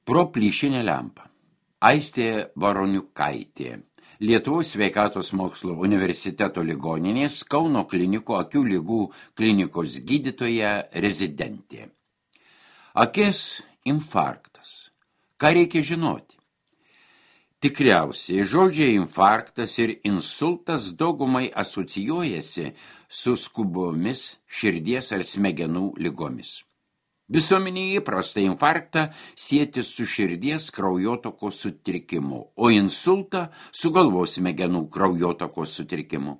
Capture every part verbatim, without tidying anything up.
Pro plyšinę lempą. Aistė Baroniukaitė. Lietuvos sveikatos mokslo universiteto ligoninės Kauno klinikų akių ligų klinikos gydytoja rezidentė. Akies infarktas. Ką reikia žinoti? Tikriausiai žodžiai infarktas ir insultas daugumai asocijuojasi su skubomis širdies ar smegenų ligomis. Visuomenė įprasta infarktą sieti su širdies kraujotakos sutrikimu, o insultą su galvos smegenų kraujotakos sutrikimu.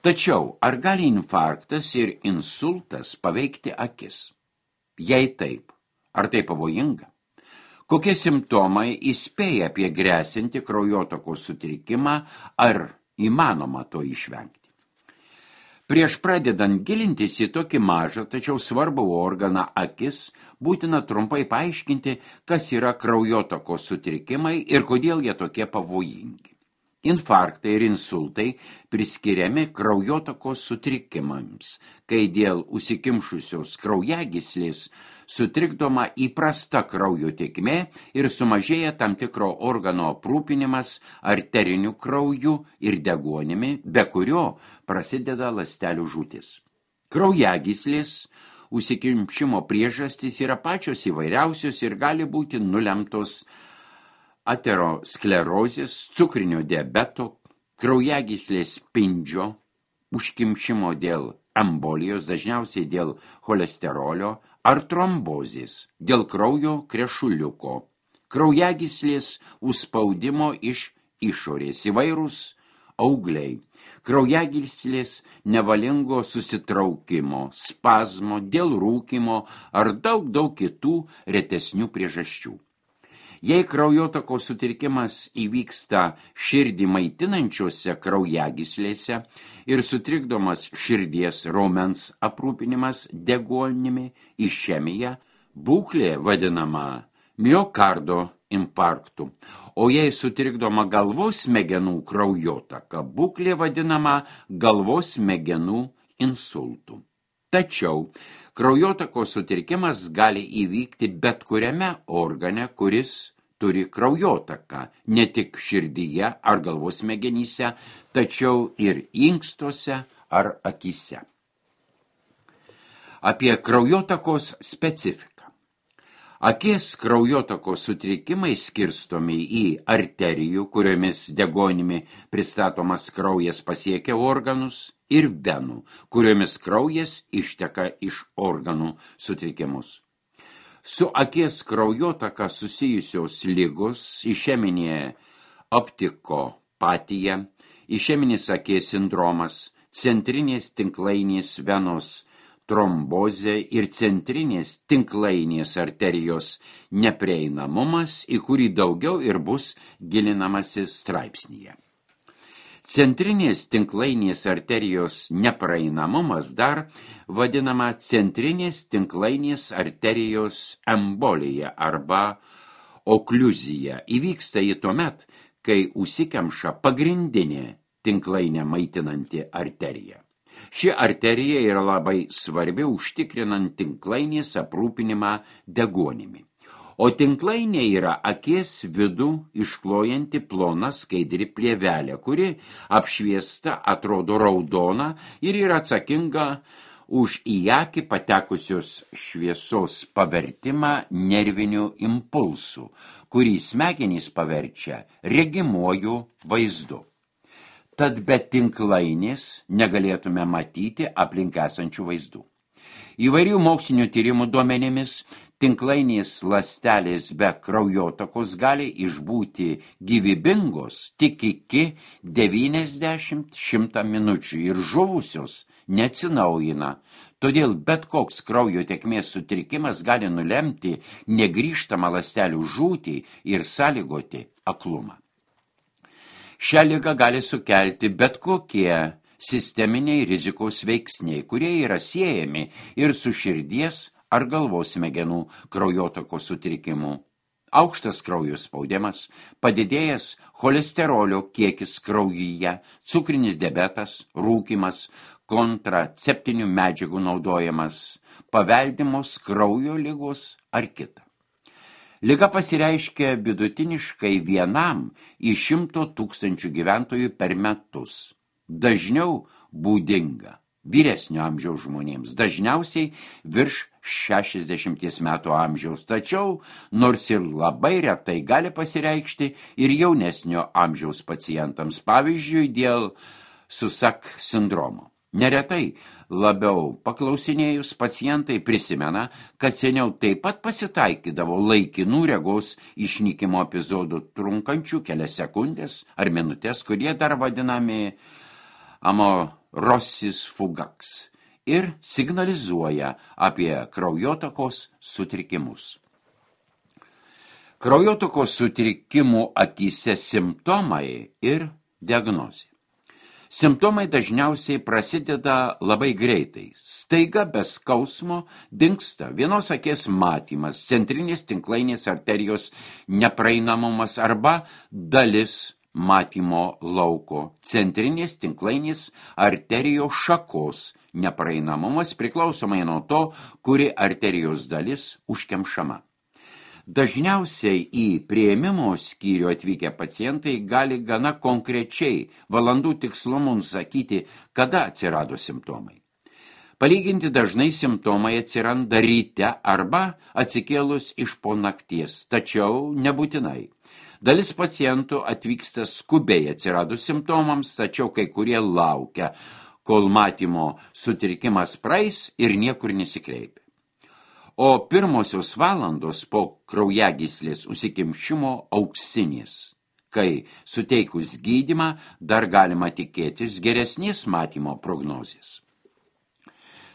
Tačiau, ar gali infarktas ir insultas paveikti akis? Jei taip, ar tai pavojinga? Kokie simptomai įspėja apie grėsinti kraujotakos sutrikimą, ar įmanoma to išvengti? Prieš pradedant gilintis į tokį mažą, tačiau svarbų organą akis, būtina trumpai paaiškinti, kas yra kraujotakos sutrikimai ir kodėl jie tokie pavojingi. Infarktai ir insultai priskiriami kraujotakos sutrikimams, kai dėl užsikimšusios kraujagyslės sutrikdoma įprasta kraujo tėkmė ir sumažėja tam tikro organo aprūpinimas arteriniu krauju ir deguonimi, be kurio prasideda ląstelių žūtis. Kraujagyslės užsikimšimo priežastys yra pačios įvairiausios ir gali būti nulemtos aterosklerozės, cukrinio diabeto, kraujagyslės spindžio, užkimšimo dėl embolijos, dažniausiai dėl cholesterolio, ar trombozės, dėl kraujo krešuliuko, kraujagyslės užspaudimo iš išorės, įvairūs augliai, kraujagyslės nevalingo susitraukimo, spazmo, dėl rūkymo ar daug daug kitų retesnių priežasčių. Jei kraujotakos sutrikimas įvyksta širdį maitinančiose kraujagyslėse ir sutrikdomas širdies raumens aprūpinimas deguonimi, išemija, būklė vadinama miokardo infarktu, o jei sutrikdoma galvos smegenų kraujotaka, būklė vadinama galvos smegenų insultu. Tačiau kraujotakos sutrikimas gali įvykti bet kuriame organe, kuris turi kraujotaką, ne tik širdyje ar galvos smegenyse, tačiau ir inkstuose ar akyse. Apie kraujotakos specifiką. Akies kraujotakos sutrikimai skirstomi į arterijų, kuriomis deguonimi pristatomas kraujas pasiekia organus, ir venų, kuriomis kraujas išteka iš organų sutrikimus. Su akies kraujotaka susijusios ligos, išeminė optikopatija, išeminis akies sindromas, centrinės tinklainės venos trombozė ir centrinės tinklainės arterijos neprieinamumas, į kurį daugiau ir bus gilinamasi straipsnyje. Centrinės tinklainės arterijos nepraeinamumas dar vadinama centrinės tinklainės arterijos embolija arba okliuzija. Įvyksta ji tuomet, kai užsikemša pagrindinė tinklainė maitinanti arterija. Ši arterija yra labai svarbi užtikrinant tinklainės aprūpinimą deguonimi. O tinklainė yra akies vidų išklojanti plona skaidri plėvelė, kuri apšviesta atrodo raudona ir yra atsakinga už į akį patekusios šviesos pavertimą nerviniu impulsu, kurį smegenys paverčia regimuoju vaizdu. Tad be tinklainės negalėtume matyti aplink esančių vaizdų. Įvairių mokslinių tyrimų duomenimis tinklainės ląstelės be kraujotakos gali išbūti gyvybingos tik iki devyniasdešimt šimtą minučių ir žuvusios neatsinaujina. Todėl bet koks kraujo tėkmės sutrikimas gali nulemti negrįžtamą ląstelių žūtį ir sąlygoti aklumą. Šią ligą gali sukelti bet kokie sisteminiai rizikos veiksniai, kurie yra siejami ir su širdies ar galvos smegenų kraujotakos sutrikimu. Aukštas kraujo spaudimas, padidėjęs cholesterolio kiekis kraujyje, cukrinis diabetas, rūkymas, kontraceptinių medžiagų naudojimas, paveldimos kraujo ligos ar kita. Liga pasireiškia vidutiniškai vienam iš šimto tūkstančių gyventojų per metus. Dažniau būdinga vyresnio amžiaus žmonėms, dažniausiai virš šešiasdešimties metų amžiaus, tačiau nors ir labai retai gali pasireikšti ir jaunesnio amžiaus pacientams, pavyzdžiui, dėl Susak sindromo. Neretai labiau paklausinėjus pacientai prisimena, kad seniau taip pat pasitaikydavo laikinų regos išnykimo epizodų trunkančių kelias sekundės ar minutės, kurie dar vadinami amaurosis fugax ir signalizuoja apie kraujotakos sutrikimus. Kraujotakos sutrikimų akyse simptomai ir diagnozė. Simptomai dažniausiai prasideda labai greitai. Staiga be skausmo dingsta vienos akies matymas, centrinės tinklainės arterijos nepraeinamumas arba dalis matymo lauko, centrinės tinklainės arterijos šakos nepraeinamumas priklausomai nuo to, kuri arterijos dalis užkemšama. Dažniausiai į priėmimo skyrių atvykę pacientai gali gana konkrečiai valandų tikslumu nusakyti, kada atsirado simptomai. Palyginti dažnai simptomai atsiranda ryte arba atsikėlus iš po nakties, tačiau nebūtinai. Dalis pacientų atvyksta skubiai atsiradus simptomams, tačiau kai kurie laukia, kol matymo sutrikimas praeis ir niekur nesikreipia. O pirmosios valandos po kraujagyslės užsikimšimo auksinės, kai suteikus gydymą dar galima tikėtis geresnės matymo prognozės.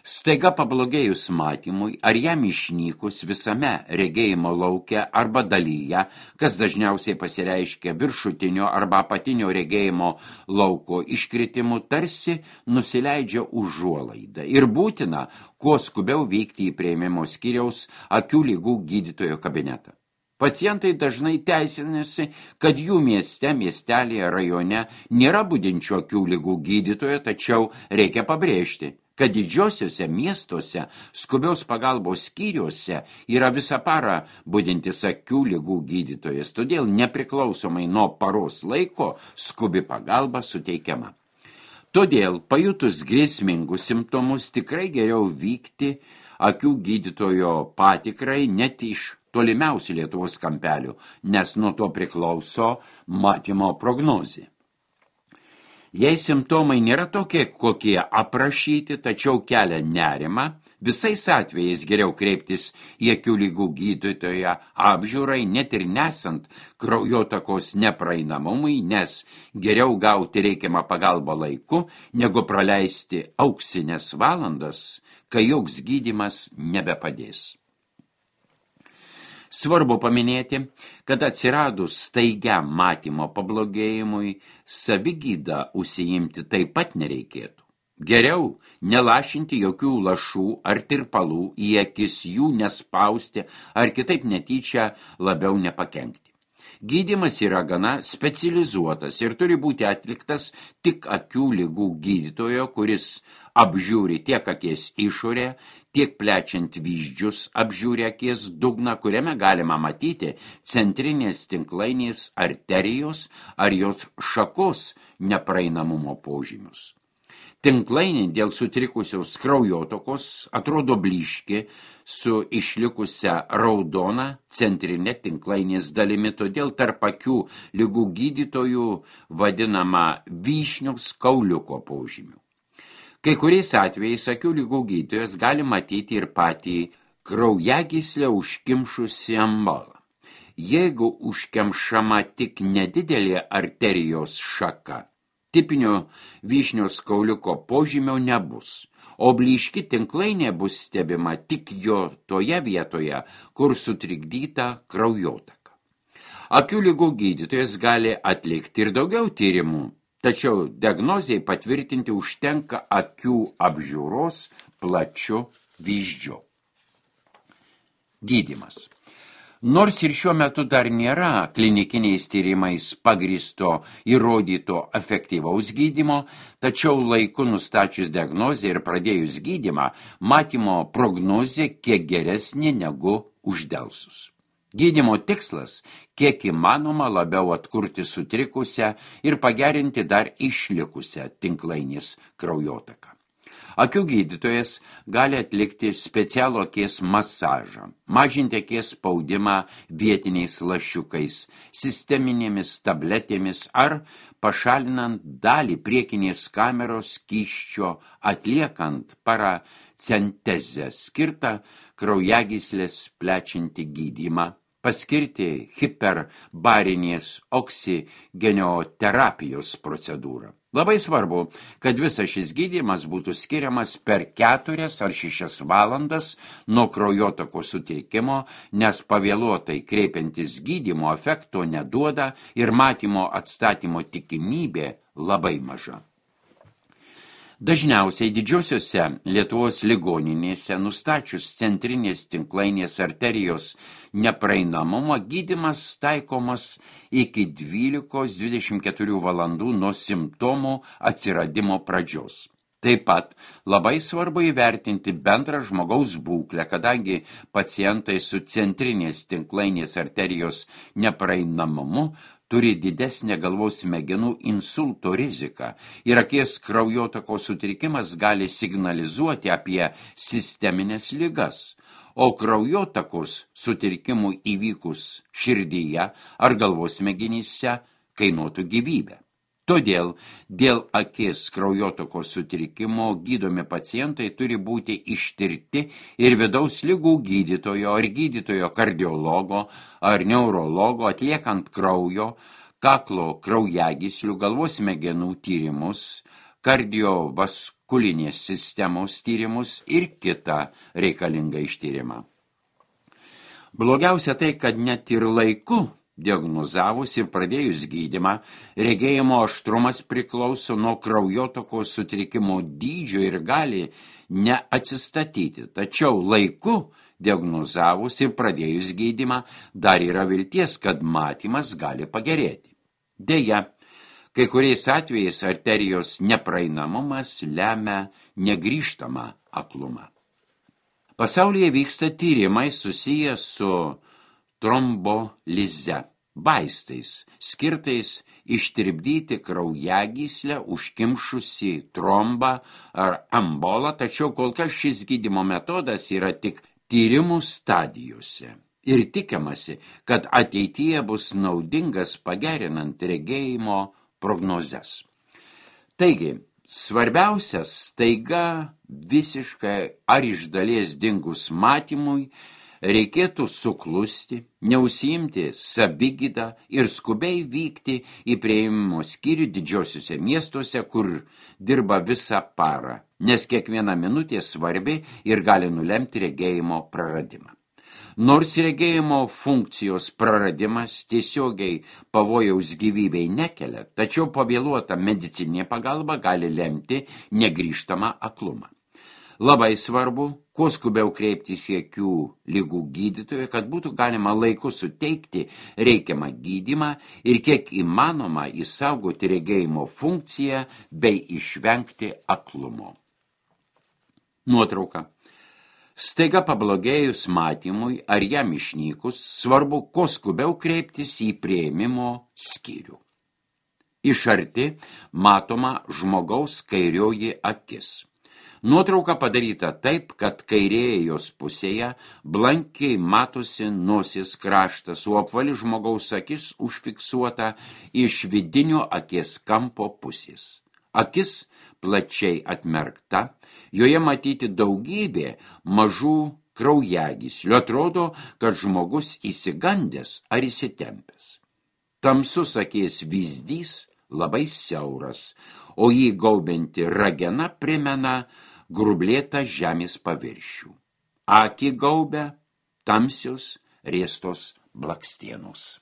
Staiga pablogėjus matymui ar jam išnykus visame regėjimo lauke arba dalyje, kas dažniausiai pasireiškia viršutinio arba apatinio regėjimo lauko iškritimu, tarsi nusileidžia užuolaidą ir būtina kuo skubiau vykti į priėmimo skyriaus akių ligų gydytojo kabinetą. Pacientai dažnai teisinasi, kad jų mieste, miestelėje, rajone nėra budinčių akių ligų gydytojo, tačiau reikia pabrėžti, kad didžiosiuose miestuose skubios pagalbos skyriuose yra visą parą budintis akių ligų gydytojas, todėl nepriklausomai nuo paros laiko skubi pagalba suteikiama. Todėl pajutus grėsmingus simptomus tikrai geriau vykti akių gydytojo patikrai net iš tolimiausių Lietuvos kampelių, nes nuo to priklauso matymo prognozė. Jei simptomai nėra tokie, kokie aprašyti, tačiau kelia nerimą, visais atvejais geriau kreiptis į akių ligų gydytoją apžiūrai, net ir nesant kraujotakos nepraeinamumui, nes geriau gauti reikiamą pagalbą laiku, negu praleisti auksinės valandas, kai joks gydymas nebepadės. Svarbu paminėti, kad atsiradus staigiam matymo pablogėjimui, savigydą užsiimti taip pat nereikėtų. Geriau nelašinti jokių lašų ar tirpalų į akis, jų nespausti ar kitaip netyčia labiau nepakenkti. Gydymas yra gana specializuotas ir turi būti atliktas tik akių ligų gydytojo, kuris apžiūri tiek akies išorę, tiek plečiant vyzdžius apžiūri akies dugną, kuriame galima matyti centrinės tinklainės arterijos ar jos šakos nepraeinamumo požymius. Tinklainė dėl sutrikusios kraujotokos atrodo blyški su išlikusia raudona centrinė tinklainės dalimi, todėl tarp akių ligų gydytojų vadinama vyšniaus kauliuko požymių. Kai kuriais atvejais akių ligų gydytojas gali matyti ir patį kraujagyslę užkimšusį ambolą. Jeigu užkemšama tik nedidelė arterijos šaka, tipinio vyšniaus kauliuko požymio nebus, o blyški tinklainė bus stebima tik jo toje vietoje, kur sutrikdyta kraujotaka. Akių ligų gydytojas gali atlikti ir daugiau tyrimų, tačiau diagnozei patvirtinti užtenka akių apžiūros plačiu vyzdžiu. Gydymas. Nors ir šiuo metu dar nėra klinikiniais tyrimais pagristo įrodyto efektyvaus gydymo, tačiau laiku nustačius diagnozę ir pradėjus gydymą, matymo prognozė kiek geresnė negu uždelsus. Gydymo tikslas – kiek įmanoma labiau atkurti sutrikusią ir pagerinti dar išlikusią tinklainės kraujotaką. Akių gydytojas gali atlikti specialų akies masažą, mažinti akies spaudimą vietiniais lašiukais, sisteminėmis tabletėmis ar pašalinant dalį priekinės kameros skysčio, atliekant paracentezę skirtą kraujagyslės plečiantį gydymą, paskirti hiperbarinės oksigenioterapijos procedūrą. Labai svarbu, kad visas šis gydymas būtų skiriamas per keturias ar šešias valandas nuo kraujotakos sutrikimo, nes pavėluotai kreipiantis gydymo efekto neduoda ir matymo atstatymo tikimybė labai maža. Dažniausiai didžiosiuose Lietuvos ligoninėse nustačius centrinės tinklainės arterijos nepraeinamumą gydymas taikomas iki dvylikos dvidešimt keturių valandų nuo simptomų atsiradimo pradžios. Taip pat labai svarbu įvertinti bendrą žmogaus būklę, kadangi pacientai su centrinės tinklainės arterijos nepraeinamumu turi didesnę galvos smegenų insulto riziką ir akies kraujotakos sutrikimas gali signalizuoti apie sisteminės ligas, o kraujotakos sutrikimų įvykus širdyje ar galvos smegenyse kainuotų gyvybę. Todėl dėl akies kraujotakos sutrikimo gydomi pacientai turi būti ištirti ir vidaus ligų gydytojo ar gydytojo kardiologo ar neurologo atliekant kraujo, kaklo kraujagyslių, galvos smegenų tyrimus, kardiovaskulinės sistemos tyrimus ir kitą reikalingą ištyrimą. Blogiausia tai, kad net ir laiku diagnozavus ir pradėjus gydymą, regėjimo aštrumas priklauso nuo kraujotakos sutrikimo dydžio ir gali neatsistatyti. Tačiau laiku diagnozavus ir pradėjus gydymą dar yra vilties, kad matymas gali pagerėti. Deja, kai kuriais atvejais arterijos nepraeinamumas lemia negrįžtamą aklumą. Pasaulyje vyksta tyrimai susiję su trombolize, vaistais, skirtais ištirpdyti kraujagyslę, užkimšusi trombą ar embolą, tačiau kol kas šis gydymo metodas yra tik tyrimų stadijose ir tikimasi, kad ateityje bus naudingas pagerinant regėjimo prognozes. Taigi, svarbiausias staiga visiškai ar iš dalies dingus matymui, reikėtų suklusti, neužsiimti savigydą ir skubiai vykti į priėmimo skyrių didžiosiuose miestuose, kur dirba visą parą, nes kiekviena minutė svarbi ir gali nulemti regėjimo praradimą. Nors regėjimo funkcijos praradimas tiesiogiai pavojaus gyvybei nekelia, tačiau pavėluota medicininė pagalba gali lemti negrįžtamą aklumą. Labai svarbu, kuo skubiau kreiptis į akių ligų gydytoją, kad būtų galima laiku suteikti reikiamą gydymą ir kiek įmanoma išsaugoti regėjimo funkciją bei išvengti aklumo. Nuotrauka. Staiga pablogėjus matymui ar jam išnykus, svarbu kuo skubiau kreiptis į priėmimo skyrių. Iš arti matoma žmogaus kairioji akis. Nuotrauka padaryta taip, kad kairėje jos pusėje blankiai matosi nosies kraštas, o apvali žmogaus akis užfiksuota iš vidinio akies kampo pusės. Akis plačiai atmerkta, joje matyti daugybė mažų kraujagyslių. Atrodo, kad žmogus įsigandęs ar įsitempęs. Tamsus akies vyzdys labai siauras, o jį gaubianti ragena primena grublėtą žemės paviršių. Akį gaubia tamsios riestos blakstienos.